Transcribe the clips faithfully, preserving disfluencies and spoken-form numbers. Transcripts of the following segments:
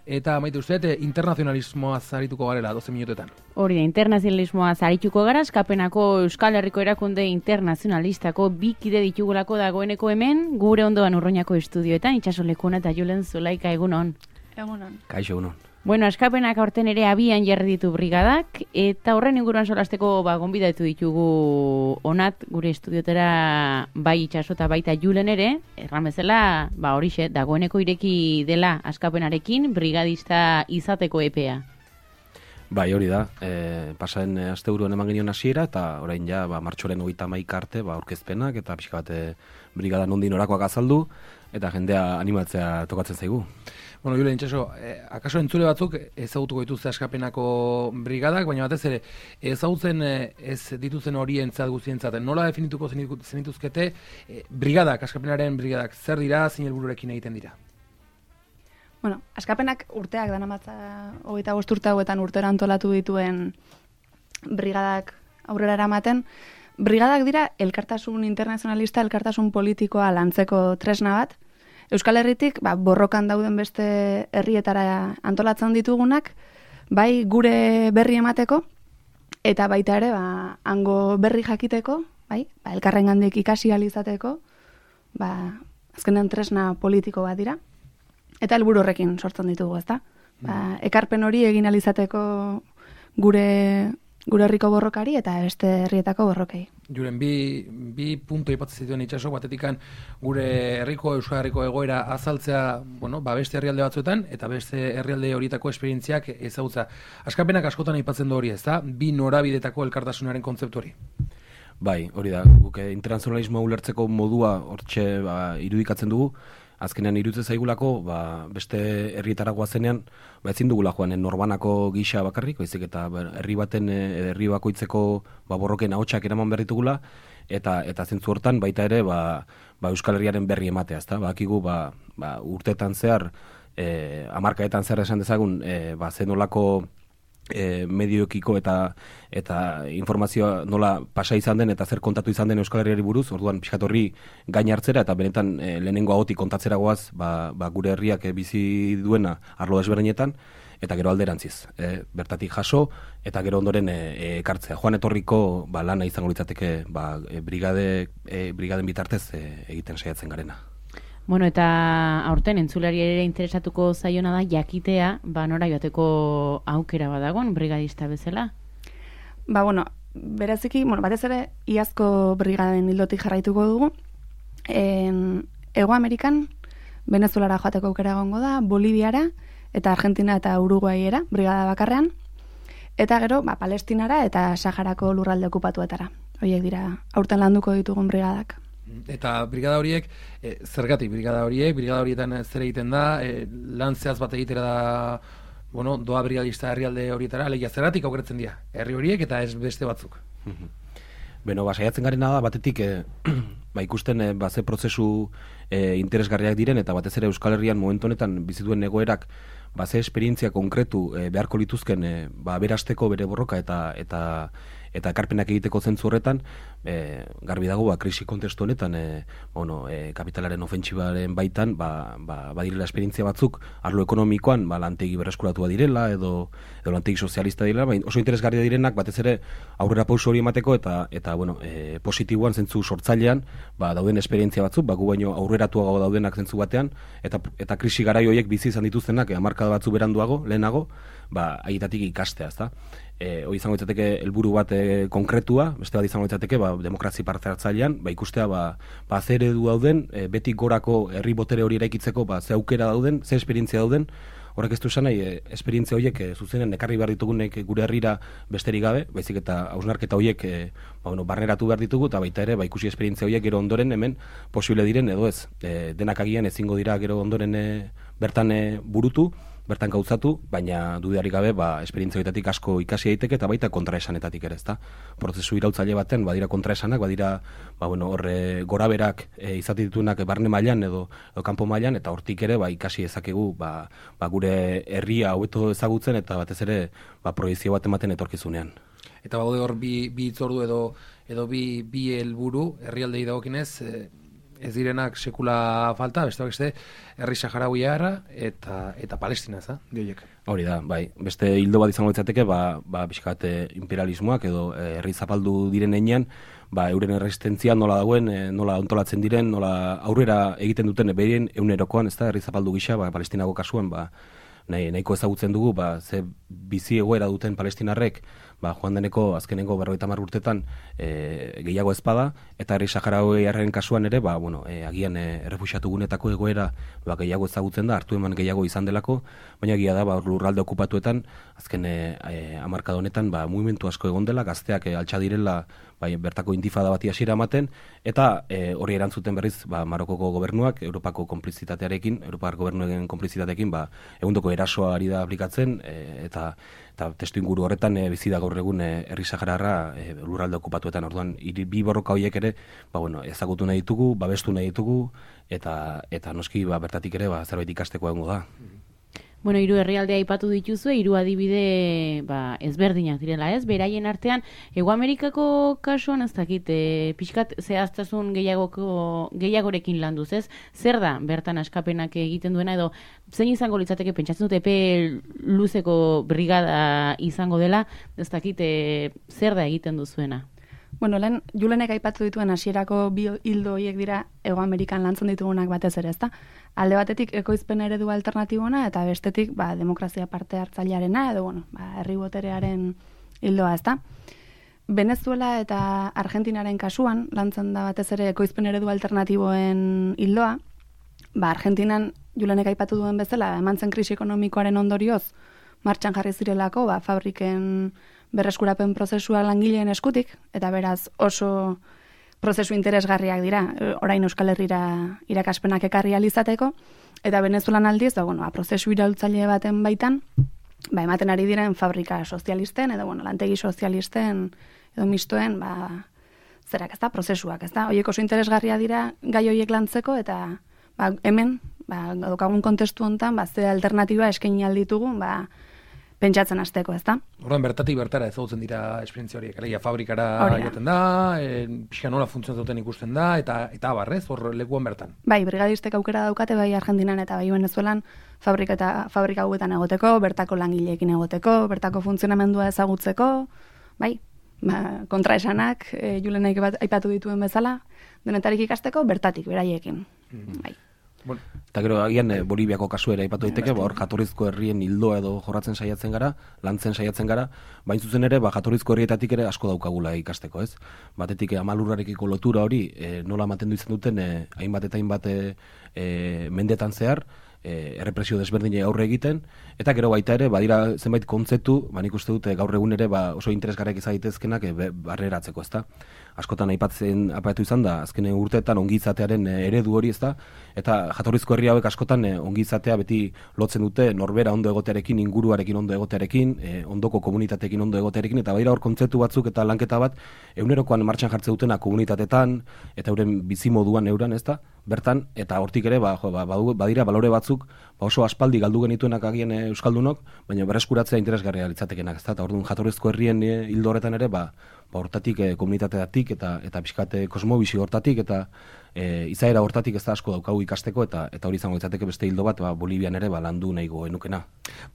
eta maite uste, internazionalismoa zarituko garela doze minutetan. Hori da, internazionalismoa zarituko gara, Askapenako Euskal Herriko Erakunde Internazionalistako bi kide ditugulako dagoeneko hemen, gure ondoan Urruñako estudioetan, Itxaso Lekuna eta Julen Zulaika, egunon. Egunon. Kaixo, egunon. Bueno, Askapenak aurten ere abian jarri ditu brigadak, eta horren inguruan solasteko ba, gonbidatu ditugu onat gure estudiotera bai Itxaso eta baita Julen ere, erran bezala, ba horixe, dagoeneko ireki dela Askapenarekin brigadista izateko epea. Bai, hori da, e, pasaren asteburuan eman genion hasiera eta orain ja ba, martxoren hogeita hamaika arte ba, aurkezpenak eta pixka bat e, brigada nondin orakoak azaldu eta jendea animatzea tokatzen zaigu. Bueno, Julen, Itxaso, eh, akaso entzule batzuk ezagutuko dituzte Askapenako brigadak, baina batez ere ezagutzen eh, ez dituzen horientzat guztientzat. Nola definituko zenituzkete eh, brigadak, Askapenaren brigadak, zer dira, zein helbururekin egiten dira? Bueno, Askapenak urteak danamatza hogeita bost urte hauetan urtera antolatu dituen brigadak aurrera eramaten. Brigadak dira elkartasun internazionalista, elkartasun politikoa lantzeko tresna bat. Euskal Herritik ba, borrokan dauden beste herrietara antolatzen ditugunak, bai gure berri emateko, eta baita ere ba, hango berri jakiteko, bai, ba, elkarrengandik ikasi ahal izateko, ba, azkenean tresna politiko bat dira. Eta helburu horrekin sortzen ditugu, ezta? Ba, ekarpen hori egin ahal izateko gure gure herriko borrokari eta beste herrietako borrokei. Julen, bi, bi punto ipatzen zituen Itxaso, batetikan gure herriko, Euskal Herriko egoera azaltzea, bueno, ba beste herrialde batzuetan, eta beste herrialde horietako esperientziak ezagutza. Askapenak askotan aipatzen du hori, ezta? Bi norabidetako elkartasunaren kontzeptu hori. Bai, hori da, guk internazionalismoa ulertzeko modua hortxe ba, irudikatzen dugu. Azkenean iruditzen zaigulako, ba, beste herrietara goazenean, ba, ezin dugula joan norbanako gisa bakarrik, baizik eta herri baten, herri bakoitzeko ba, borroken ahotsak eraman behar ditugula, eta eta zentzu hortan baita ere ba, ba, Euskal Herriaren berri ematea, ezta? Bakigu ba, ba, urteetan zehar, eh, hamarkaetan zehar esan dezagun, eh, ba, zenolako E, medioekiko eta eta informazioa nola pasa izan den eta zer kontatu izan den Euskal Herriari buruz, orduan pixkat horri gain hartzera eta benetan e, lehenengo ahotik kontatzera goaz ba, ba, gure herriak e, bizi duena arlo desberdinetan eta gero alderantziz, e, bertatik jaso eta gero ondoren e, ekartzea. Joan etorriko ba, lana izango litzateke ba, e, brigade, e, brigaden bitartez e, egiten saiatzen garena. Bueno, eta aurten entzulari ere interesatuko zaiona da jakitea, ba nora joateko aukera badagon brigadista bezala. Ba bueno, bereziki, bueno, batez ere iazko brigaden ildotik jarraituko dugu. En Hego Amerikan Venezuelara joateko aukera egongo da, Boliviara eta Argentina eta Uruguaiera brigada bakarrean. Eta gero, ba Palestinara eta Saharako lurralde okupatuetara. Horiek dira aurten landuko ditugun brigadak. Eta brigada horiek, e, zergatik brigada horiek, brigada horietan zer egiten da, e, lan zehaz bat egitera da, bueno, doa brigadista herrialde horietara, alegia zergatik aukeratzen dira, herri horiek eta ez beste batzuk. Beno, ba, saiatzen garena da, batetik, e, ba, ikusten e, ba, ze prozesu e, interesgarriak diren, eta batez ere Euskal Herrian momentu honetan bizituen egoerak, ba, ze esperientzia konkretu e, beharko lituzken, e, ba, berasteko bere borroka eta eta eta ekarpenak egiteko zentzu horretan, e, garbi dago, ba, krisi kontestu honetan, e, bueno, e, kapitalaren ofentsibaren baitan, ba, ba, badirela esperientzia batzuk, arlo ekonomikoan, ba, lantegi berreskuratua direla, edo, edo lantegi sozialista direla, ba, oso interesgarria direnak, batez ere, aurrera pauso hori emateko, eta, eta bueno, e, positiboan, zentzu sortzailean, ba, dauden esperientzia batzuk, ba, gu baino aurreratuago daudenak zentzu batean, eta, eta krisi garai horiek bizi izan dituztenak, hamarkada batzu beranduago, lehenago, ba, haietatik ikastea, ezta? E, hori izango ditzateke helburu bat e, konkretua, beste bat izango ditzateke ba, demokrazi parte hartzailean, ba, ikustea ba, ba, ze eredu dauden, e, betik gorako herri botere hori eraikitzeko ba, ze aukera dauden, ze esperientzia dauden, horrek ez du esan nahi, e, esperientzia horiek e, zuzenen ekarri behar ditugunek gure herrira besterik gabe, baizik eta hausnarketa horiek e, ba, bueno, barneratu behar ditugu, eta baita ere ba, ikusi esperientzia horiek gero ondoren hemen posible diren edo ez, e, denak agian ezingo dira gero ondoren e, bertan e, burutu, bertan gauzatu, baina dudarik gabe, ba, esperientzia horietatik asko ikasi daiteke eta baita kontraesanetatik ere, ezta? Prozesu irautzaile baten, badira kontraesanak, badira, ba, bueno, horre goraberak e, izate dituenak barne mailan edo, edo kanpo mailan, eta hortik ere, ba, ikasi ezakegu, ba, ba, gure herria hobeto ezagutzen, eta batez ere, ba, proiezio bat ematen etorkizunean. Eta baude hor bi, bi itzordu edo, edo bi, bi helburu herrialdei dagokinez, e, ez direnak sekula falta, beste beste herri saharauiarra eta eta Palestina, za, dioiek. Hori da, bai. Beste hildo bat izango litzateke, ba, ba pixkat imperialismoak edo herri zapaldu diren heinean, ba, euren erresistentzia nola dagoen, e, nola ontolatzen diren, nola aurrera egiten duten berien egunerokoan, ez da, herri zapaldu gisa, ba, Palestinako kasuan, ba, nahi, nahiko ezagutzen dugu, ba, ze bizi egoera duten palestinarrek, ba, joan deneko azkenengo berrogeita hamar urtetan e, gehiago ezpada, eta herri saharauiarren kasuan ere, ba, bueno, e, agian e, errefuxiatu gunetako egoera ba, gehiago ezagutzen da, hartu eman gehiago izan delako, baina egia da, ba, lurralde okupatuetan, azken e, e, hamarkada honetan, ba, mugimendu asko egon dela, gazteak e, altxa direla, bai, bertako intifada bati hasiera ematen, eta e, hori erantzuten berriz, ba, Marokoko gobernuak, Europako konplizitatearekin, Europar gobernuen konplizitatearekin, ba, egundoko erasoa ari da aplikatzen, e, eta eta testu inguru horretan e, bizi da gaur egun e, herri sahararra e, lurralde okupatuetan. Orduan, hiri bi borroka horiek ere, ba, bueno, ezagutu nahi ditugu, babestu nahi ditugu, eta eta noski ba, bertatik ere ba, zerbait ikasteko egongo da. Bueno, hiru herrialdea aipatu dituzue, hiru adibide ba, ezberdinak direla, ez? Beraien artean, Hego Amerikako kasuan ez dakit, e, pixkat zehaztasun gehiagoko gehiagorekin landuz, ez? Zer da bertan askapenak egiten duena edo zein izango litzateke pentsatzen dut epe luzeko brigada izango dela, ez dakit e, zer da egiten duzuena? Bueno, lehen, Julenek aipatu dituen hasierako bi hildo horiek dira Hego Amerikan lantzen ditugunak batez ere, ezta? Alde batetik ekoizpen eredu alternatibona eta bestetik ba, demokrazia parte hartzailearena edo bueno, ba, herri boterearen hildoa, ezta? Venezuela eta Argentinaren kasuan lantzen da batez ere ekoizpen eredu alternatiboen hildoa. Ba, Argentinan Julenek aipatu duen bezala, eman zen krisi ekonomikoaren ondorioz martxan jarri zirelako, ba, fabriken berreskurapen prozesua langileen eskutik, eta beraz oso prozesu interesgarriak dira, orain Euskal Herrira irakaspenak ekarri alizateko, eta Venezuelan aldiz, da, bueno, prozesu iraultzaile baten baitan, ba, ematen ari diren fabrika sozialisten, edo bueno, lantegi sozialisten, edo mistoen, ba, zerak ez da, prozesuak, ez da, horiek oso interesgarria dira gai horiek lantzeko, eta ba, hemen, ba, daukagun kontestu honetan, ba, ze alternatiba eskaini alditugun, ba, pentsatzen hasteko, ez da? Orduan bertatik bertara ezagutzen dira esperientzia horiek, alegia fabrikara joaten da, e, pixka nola funtzionatzen duten ikusten da, eta eta abarrez, hor lekuan bertan. Bai, brigadistek aukera daukate, bai Argentinan eta bai Venezuelan fabrika eta fabrika hauetan egoteko, bertako langileekin egoteko, bertako funtzionamendua ezagutzeko, bai, ba, kontraesanak, e, Julenek aipatu dituen bezala, denetarik ikasteko, bertatik, beraiekin, mm-hmm. bai. Bueno, eta gero agian e, Boliviako kasu ere aipatu daiteke, ba hor jatorrizko herrien hildoa edo jorratzen saiatzen gara, lantzen saiatzen gara, bain zuzen ere ba jatorrizko herrietatik ere asko daukagula ikasteko, ez? Batetik e, amalurrarekiko lotura hori e, nola mantendu izan duten e, hainbat eta hainbat e, e, mendetan zehar, e, errepresio desberdinei aurre egiten, eta gero baita ere badira zenbait kontzeptu, ba nik uste dute gaur egun ere ba oso interesgarriak izan daitezkenak e, barreratzeko, ezta? Askotan aipatzen aipatu izan da, azken urteetan ongizatearen eredu hori, ezta? Eta jatorrizko herri hauek askotan eh, ongizatea beti lotzen dute norbera ondo egotearekin, inguruarekin ondo egotearekin, eh, ondoko komunitateekin ondo egotearekin, eta baira hor kontzeptu batzuk eta lanketa bat egunerokoan martxan jartze dutena komunitatetan eta euren bizimoduan euran, ezta? Bertan, eta hortik ere, ba, jo, ba, badira balore batzuk, ba oso aspaldi galdu genituenak agien e, euskaldunok, baina berreskuratzea interesgarria litzatekenak, ezta? Eta orduan jatorrizko herrien e, hildo horretan ere, ba, ba hortatik e, komunitateatik eta eta pixkate kosmobisi hortatik eta e, izaera hortatik ez da asko daukagu ikasteko eta eta hori izango litzateke beste hildo bat, ba Bolivian ere ba landu nahigo enukena.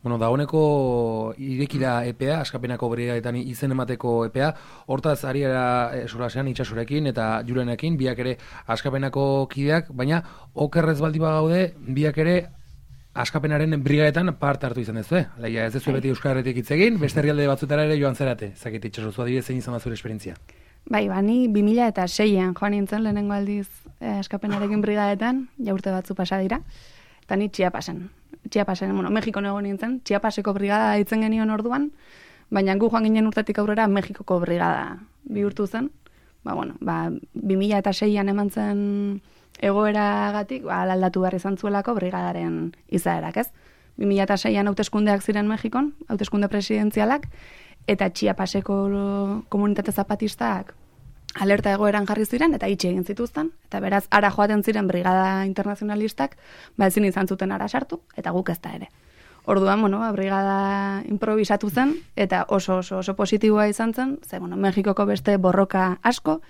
Bueno, dagoeneko irekida epea, askapenako brigadetan izen emateko epea, hortaz ari era solasean itsasorekin eta Julenekin, biak ere askapenako kideak, baina okerrez baldi bagaude, biak ere askapenaren brigadetan parte hartu izan duzu, eh? Leia, ez duzu beti Euskal Herritik hitz egin, beste herrialde batzutara ere joan zerate, zakit itxasozu adibidez zein izan da zure esperientzia. Bai, bani bi mila seian joan nintzen lehenengo aldiz eh, askapenarekin brigadetan, ja urte batzu pasa dira, eta ni Chiapasen. Chiapasen, bueno, Mexikon egon nintzen, Chiapaseko brigada ditzen genion orduan, baina gu joan ginen urtetik aurrera Mexikoko brigada bihurtu zen. Ba, bueno, ba, bi mila seian eman zen egoeragatik, ba, aldatu behar izan zuelako brigadaren izaerak, ez? bi mila seian hauteskundeak ziren Mexikon, hauteskunde presidentzialak, eta Chiapaseko komunitate zapatistak alerta egoeran jarri ziren, eta itxi egin zituzten, eta beraz, ara joaten ziren brigada internazionalistak, ba ezin izan zuten ara sartu, eta guk ez da ere. Orduan, bueno, ba, brigada improvisatu zen, eta oso oso oso positiboa izan zen, ze, bueno, Mexikoko beste borroka asko,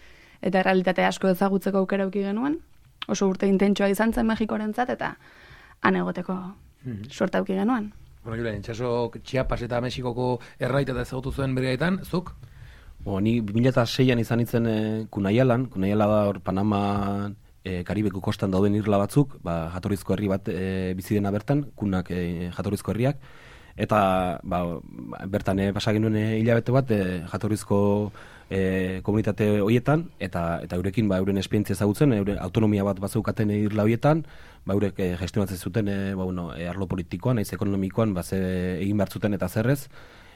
eta errealitate asko ezagutzeko aukera eduki genuen, oso urte intentsua izan zen Mexikorentzat, eta han egoteko Mhm. suerte auki genuen. Bueno, Julen, itxaso Chiapas eta Mexikoko errait eta ezagutu zuen brigadetan, zuk? Bo, ni bi mila seian izan itzen e, Kunayalan, Kunayala da hor Panama e, Karibeko kostan dauden irla batzuk, ba, jatorrizko herri bat e, bizi dena bertan, kunak e, jatorrizko herriak, eta ba, bertan e, pasa genuen e, hilabete bat e, jatorrizko e, komunitate hoietan, eta eta eurekin ba, euren esperientzia ezagutzen, euren autonomia bat bazeukaten irla hoietan, ba, eurek e, gestionatzen zuten e, ba, bueno, e, arlo politikoan, naiz ekonomikoan, ba, ze egin behar zuten eta zerrez,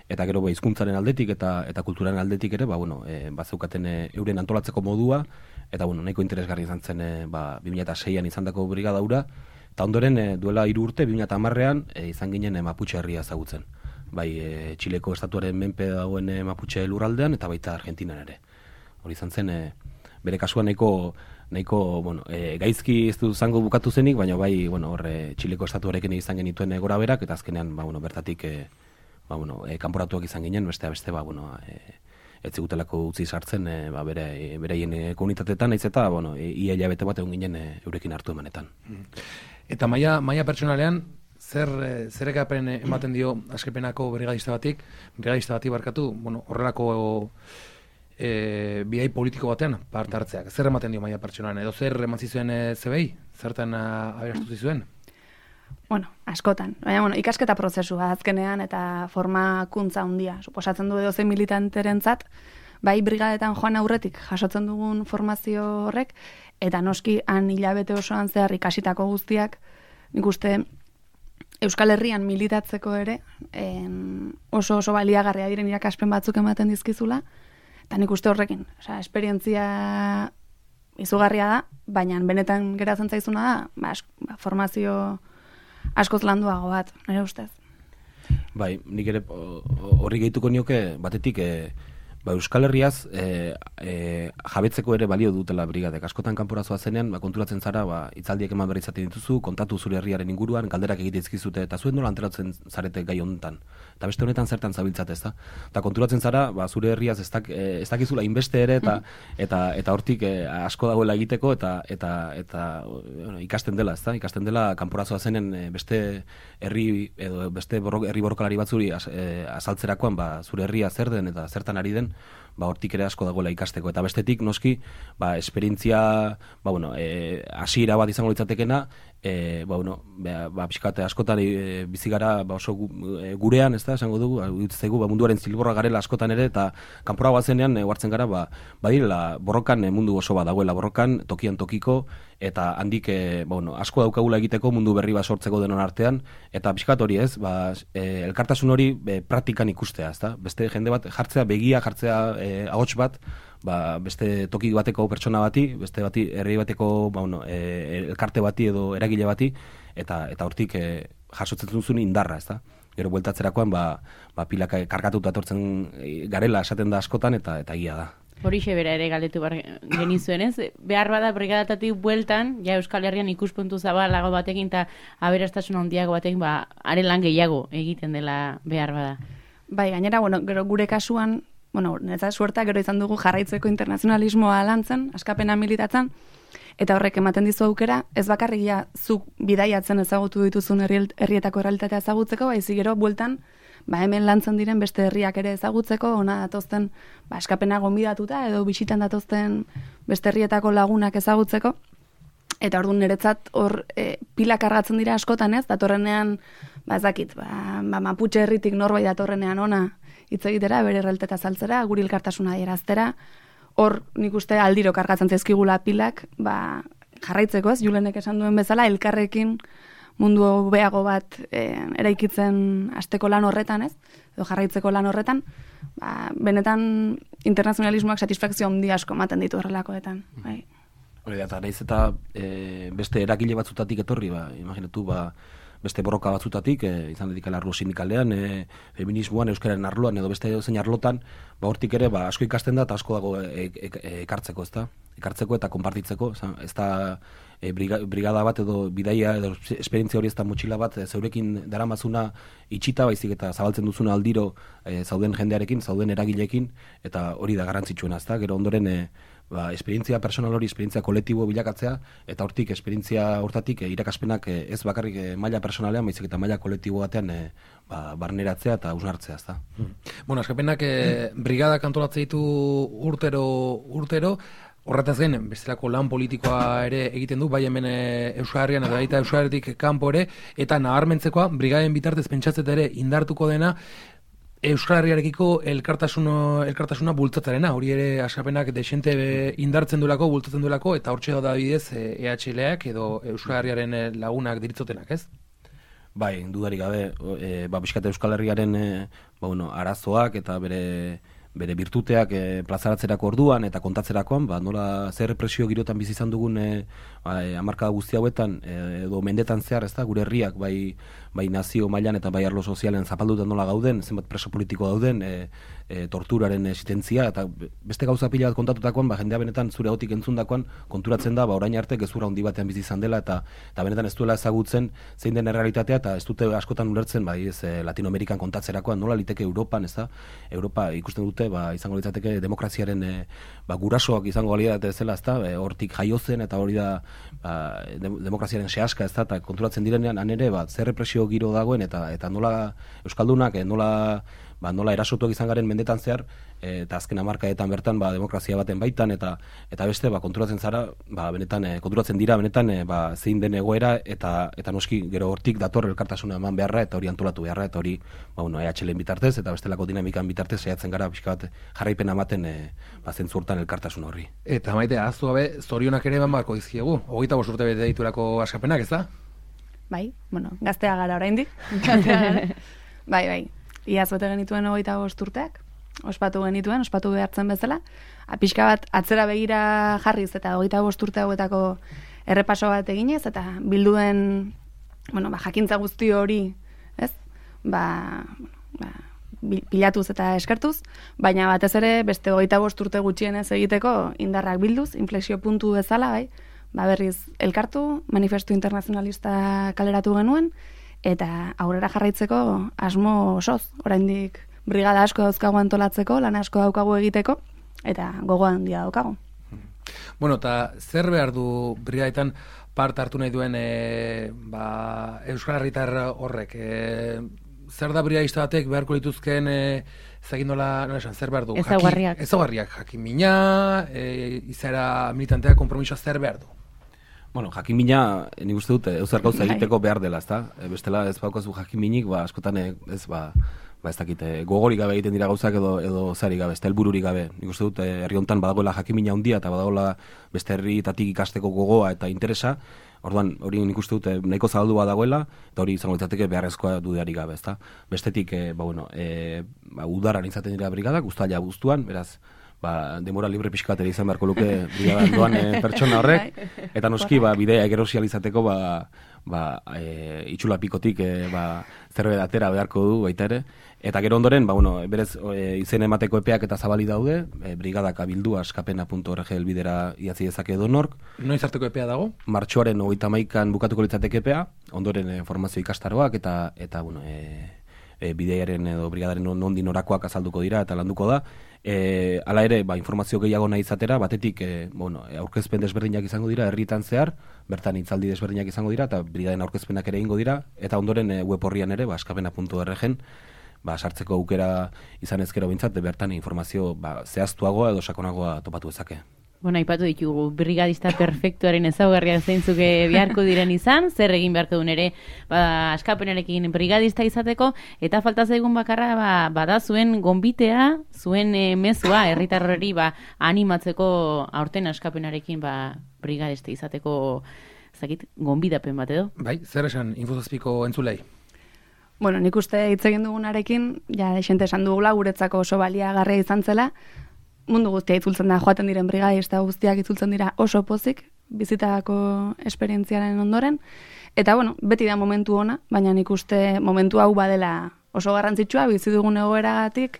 eta gero ba, hizkuntzaren aldetik eta eta kulturaren aldetik ere, ba, bueno, e, bazeukaten e, euren antolatzeko modua, eta bueno, nahiko interesgarri izan zen e, ba, bi mila seian izandako brigada hura, eta ondoren e, duela hiru urte, bi mila hamarrean e, izan ginen e, Mapuche herria ezagutzen. Bai, e, Txileko estatuaren menpe dagoen e, Mapuche lurraldean, eta baita Argentinan ere. Hori izan zen, e, bere kasuan nahiko, nahiko bueno, e, gaizki ez du zango bukatu zenik, baina bai, bueno, horre Txileko estatuarekin izan genituen e, gora berak, eta azkenean, ba, bueno, bertatik e, ba, bueno, e, kanporatuak izan ginen, beste beste, ba, bueno, e, ez zigutelako utzi sartzen e, ba, bere, e, bereien e, komunitateetan, naiz eta, bueno, e, ia hilabete bat egon ginen e, eurekin hartu emanetan. Eta maila, maila pertsonalean, zer, eh, zer ekapen ematen dio Askepenako brigadista batik, brigadista bati barkatu, bueno, horrelako e, bidai politiko batean parte hartzeak. Zer ematen dio maila pertsonalean, edo zer eman zizuen e, zebei? Zertan uh, aberastu zizuen? Bueno, askotan. Baina, bueno, ikasketa prozesua azkenean eta formakuntza handia. Suposatzen du edo zein militanterentzat, bai brigadetan joan aurretik jasotzen dugun formazio horrek, eta noski han hilabete osoan zehar ikasitako guztiak, nik uste Euskal Herrian militatzeko ere en, oso oso baliagarria diren irakaspen batzuk ematen dizkizula, eta nik uste horrekin, osea, esperientzia izugarria da, baina benetan geratzen zaizuna da, ba, ba, formazio askoz landuago bat, nire ustez. Bai, nik ere horri gehituko nioke, batetik e, ba, Euskal Herriaz e, e, jabetzeko ere balio dutela brigadek. Askotan kanporazoa zenean, ba, konturatzen zara, ba, itzaldiek eman berri izaten dituzu, kontatu zure herriaren inguruan, galderak egite izkizute, eta zuen nola anteratzen zarete gai honetan. Eta beste honetan zertan zabiltzat ez da. Eta konturatzen zara, ba, zure herriaz ez, dak, e, ez dakizula inbeste ere, eta, eta, eta hortik e, asko dagoela egiteko, eta, eta, eta bueno, ikasten dela, ez da? Ikasten dela kanporazoa zenen e, beste herri, edo beste borro, herri borrokalari batzuri az, e, azaltzerakoan, ba, zure herria zer den eta zertan ari den, ba, hortik ere asko dagoela ikasteko. Eta bestetik, noski, ba, esperientzia, ba, bueno, e, hasiera bat izango litzatekena, e, ba, bueno, ba, ba, pixkate askotan e, bizigara ba, oso gu, e, gurean, ez da, esango dugu, utzegu, ba, munduaren zilborra garela askotan ere, eta kanpora bazenean, e, huartzen gara, ba, badirela, borrokan e, mundu oso bat dagoela, borrokan, tokian tokiko, eta handik e, ba, bueno, asko daukagula egiteko mundu berri bat sortzeko denon artean, eta pixkat hori ez, ba, e, elkartasun hori e, praktikan ikustea, ez da, beste jende bat jartzea, begia jartzea e, ahots bat, ba, beste toki bateko pertsona bati, beste bati herri bateko ba, bueno, e, elkarte bati edo eragile bati, eta eta hortik e, jasotzen duzun indarra, ez da. Gero bueltatzerakoan, ba, ba pilaka kargatuta etortzen garela esaten da askotan, eta eta egia da. Horixe bera ere galdetu bar genizuen, ez? Behar bada brigadatatik bueltan, ja Euskal Herrian ikuspuntu zabalago batekin eta aberastasun handiago batekin, ba, are lan gehiago egiten dela behar bada. Bai, gainera, bueno, gero gure kasuan, bueno, netza suerta gero izan dugu jarraitzeko internazionalismoa lantzen, askapena militatzen, eta horrek ematen dizu aukera, ez bakarrik ja zuk bidaiatzen ezagutu dituzun herri, herrietako errealitatea ezagutzeko, baizik gero bueltan, ba hemen lantzen diren beste herriak ere ezagutzeko, ona datozten ba, askapena gonbidatuta edo bisitan datozten beste herrietako lagunak ezagutzeko, eta orduan niretzat hor e, pila kargatzen dira askotan ez, datorrenean, ba ezakit, ba, ba Mapuche herritik norbait datorrenean ona hitz egitera, bere realitatea azaltzera, guri elkartasuna adieraztera, hor nik uste aldiro kargatzen zaizkigula pilak, ba, jarraitzeko ez, Julenek esan duen bezala, elkarrekin mundu hobeago bat e, eraikitzen hasteko lan horretan ez, edo jarraitzeko lan horretan, ba, benetan internazionalismoak satisfakzio handi asko ematen ditu horrelakoetan. Bai. Hori da, eta nahiz eta e, beste eragile batzutatik etorri, ba, imaginatu, ba, beste borroka batzutatik, e, izan dedikala arlo sindikalean, e, feminismoan, euskararen arloan, edo beste zein arlotan, ba, hortik ere, ba, asko ikasten da, eta asko dago e, e, e, ekartzeko, ez da? Ekartzeko eta konpartitzeko, ez da, e, briga, brigada bat edo bidaia edo esperientzia hori ez da motxila bat e, zeurekin daramazuna itxita baizik eta zabaltzen duzuna aldiro e, zauden jendearekin, zauden eragileekin, eta hori da garrantzitsuena, ezta? Gero ondoren e, ba, esperientzia personal hori, esperientzia kolektibo bilakatzea, eta hortik esperientzia hortatik e, irakaspenak e, ez bakarrik e, maila personalean, baizik eta maila kolektibo batean e, ba, barneratzea eta usnartzea, ezta? Hmm. Bueno, askapenak e, brigadak antolatzen ditu urtero urtero, horretaz gain, bestelako lan politikoa ere egiten du, bai hemen e, Euskal Herrian eta baita Euskal Herritik kanpo ere, eta nabarmentzekoa, brigaden bitartez pentsatzet ere indartuko dena, Euskal Herriarekiko elkartasuna, elkartasuna bultzatzarena, hori ere askapenak desente indartzen duelako, bultzatzen duelako, eta hortxe da bidez E H L-ak edo Euskal Herriaren lagunak diritzotenak, ez? Bai, dudarik gabe, e, ba, bizkate Euskal Herriaren e, ba, bueno, arazoak eta bere bere birtuteak e, plazaratzerako orduan eta kontatzerakoan, ba, nola zer represio girotan bizi izan dugun e, ba, e, hamarkada guzti hauetan e, edo mendetan zehar, ez da, gure herriak bai, bai nazio mailan eta bai arlo sozialen zapalduta nola gauden, zenbat preso politiko dauden, e, e, torturaren existentzia, eta beste gauza pila bat kontatutakoan, ba, jendea benetan zure gotik entzundakoan konturatzen da, ba, orain arte gezurra handi batean bizi izan dela, eta, eta benetan ez duela ezagutzen zein den errealitatea, eta ez dute askotan ulertzen, bai, ez, e, Latinoamerikan kontatzerakoan, nola liteke Europan, ez da, Europa ikusten dute, ba, izango litzateke demokraziaren e, ba, gurasoak izango litzateke zela, ezta, e, hortik jaio zen eta hori da ba, de, demokraziaren sehaska, ezta, eta konturatzen direnean han ere, ba, zer represio giro dagoen eta eta nola euskaldunak e, nola ba, nola erasotuak izan garen mendetan zehar, e, eta azken hamarkadetan bertan ba, demokrazia baten baitan eta eta beste ba, konturatzen zara, ba, benetan e, konturatzen dira benetan e, ba, zein den egoera eta eta noski gero hortik dator elkartasuna eman beharra eta hori antolatu beharra eta hori ba, bueno, E H L-en bitartez eta bestelako dinamikan bitartez saiatzen gara pixka bat jarraipen ematen e, ba, zentzu hortan elkartasun horri. Eta maite, ahaztu gabe, zorionak ere eman barko dizkiegu, hogeita bost urte bete diturako askapenak, ez da? Bai, bueno, gaztea gara oraindik. bai, bai. Iaz bete genituen hogeita bost urteak, ospatu genituen, ospatu behartzen bezala. Pixka bat atzera begira jarriz eta hogeita bost urte hauetako errepaso bat eginez, eta bilduen, bueno, ba, jakintza guzti hori, ez? Ba, ba, pilatuz eta eskertuz, baina batez ere beste hogeita bost urte gutxienez egiteko indarrak bilduz, inflexio puntu bezala, bai, ba, berriz elkartu, manifestu internazionalista kaleratu genuen, eta aurrera jarraitzeko asmo osoz, oraindik brigada asko dauzkagu antolatzeko, lan asko daukagu egiteko, eta gogo handia daukagu. Bueno, eta zer behar du brigadetan parte hartu nahi duen e, ba, Euskal Herritar horrek? E, zer da brigadista batek beharko lituzken e, zagindola, no esan, zer behar du? Ezaugarriak. Ezaugarriak, jakimina, e, izaera militantea, kompromisoa zer behar du? Bueno, jakimina, nik uste dut, eusar gauza egiteko behar dela, ezta? E, bestela ez baukazu jakiminik, ba, askotan ez, ba, ba ez dakit, gogorik gabe egiten dira gauzak edo edo zari gabe, ez da helbururik gabe. Nik uste dut, herri hontan badagoela jakimina handia eta badagoela beste herrietatik ikasteko gogoa eta interesa. Orduan, hori nik uste dut nahiko zabaldua dagoela, eta hori izango litzateke beharrezkoa dudarik gabe, ezta? Bestetik, e, ba, bueno, e, ba, udaran izaten dira brigadak, uztaila guztuan, beraz, ba, demora libre pixkatera izan beharko luke brigadan doan e, pertsona horrek, eta noski, ba, bidea egerosializateko, ba, ba, e, itxula pikotik e, ba, zerbait atera beharko du baita ere, eta gero ondoren, ba, bueno, berez e, izen emateko epeak eta zabali daude, e, brigadak abildu askapena puntu org elbidera idatzi dezake edonork. Noiz arteko epea dago? Martxoaren hogeita hamaikan bukatuko litzateke epea, ondoren e, formazio ikastaroak eta, eta bueno, e, e, bideiaren edo brigadaren nondi norakoak azalduko dira eta landuko da. E, hala ere, ba, informazio gehiago nahi izatera, batetik e, bueno, aurkezpen desberdinak izango dira, herrietan zehar, bertan hitzaldi desberdinak izango dira, eta brigaden aurkezpenak ere egingo dira, eta ondoren e, web horrian ere, ba, askapena puntu org-en, ba, sartzeko aukera izan ezkero bintzat, bertan informazio ba, zehaztuagoa edo sakonagoa topatu ezake. Bueno, aipatu ditugu, brigadista perfektuaren ezaugarriak zeintzuk beharko diren izan, zer egin beharko duen ere, ba, askapenarekin brigadista izateko, eta falta zaigun bakarra, ba, bada zuen gonbitea, zuen e, mezua, herritarrori ba, animatzeko aurten askapenarekin ba, brigadista izateko, zakit, gonbidapen bat edo? Bai, zer esan infozazpiko entzulei? Bueno, nik uste hitz egin dugunarekin, ja, desente esan dugula, guretzako oso baliagarria izan zela, mundu guztia itzultzen da, joaten diren brigadista guztiak itzultzen dira oso pozik, bizitako esperientziaren ondoren, eta bueno, beti da momentu ona, baina nik uste momentu hau badela oso garrantzitsua, bizi dugun egoeragatik,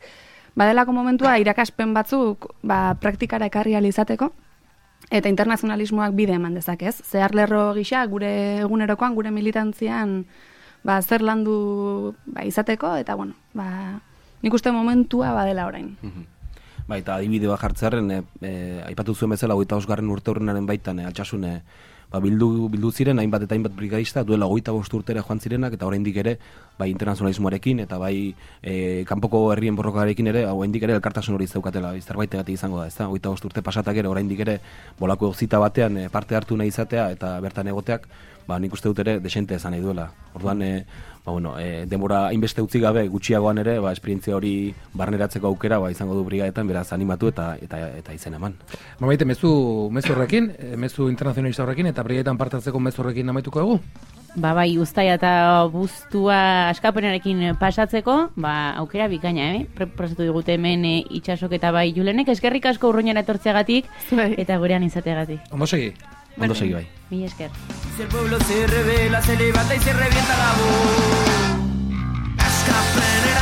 badelako momentua irakaspen batzuk ba, praktikara ekarri ahal izateko, eta internazionalismoak bide eman dezakez. Zehar lerro gisa, gure egunerokoan, gure militantzian, ba, zer landu ba, izateko, eta, bueno, ba, nik uste momentua badela orain. Ba, eta adibide bat jartzearen, e, e, aipatu zuen bezala, hogeita bosgarren urte horrenaren baitan, e, altsasun, e, ba, bildu, bildu ziren, hainbat eta hainbat brigadista, duela hogeita bost urtera joan zirenak, eta oraindik ere, bai internazionalismoarekin, eta bai e, kanpoko herrien borrokarekin ere, oraindik ere elkartasun hori zeukatela, zerbait izango da, ez da, hogeita bost urte pasatak ere, oraindik ere, bolako zita batean e, parte hartu nahi izatea, eta bertan egoteak, ba, nik uste dut ere, desente esan nahi duela. Orduan, e, ba, bueno, e, denbora hainbeste utzi gabe, gutxiagoan ere, ba, esperientzia hori barneratzeko aukera, ba, izango du brigadetan, beraz animatu eta eta eta izen eman. Ba, baite, mezu, mezu horrekin, mezu internazionalista horrekin, eta brigadetan parte hartzeko mezu horrekin amaituko dugu? Ba, bai, uztaia eta buztua askapenarekin pasatzeko, ba, aukera bikaina, eh? Prestatu digute hemen e, itxasok eta bai Julenek, eskerrik asko urruñara etortzeagatik, eta gurean izateagatik. Ondo segi? Ondo segi bai. Mila esker. Si el pueblo se revela, se levanta y se revienta la voz. Askapenera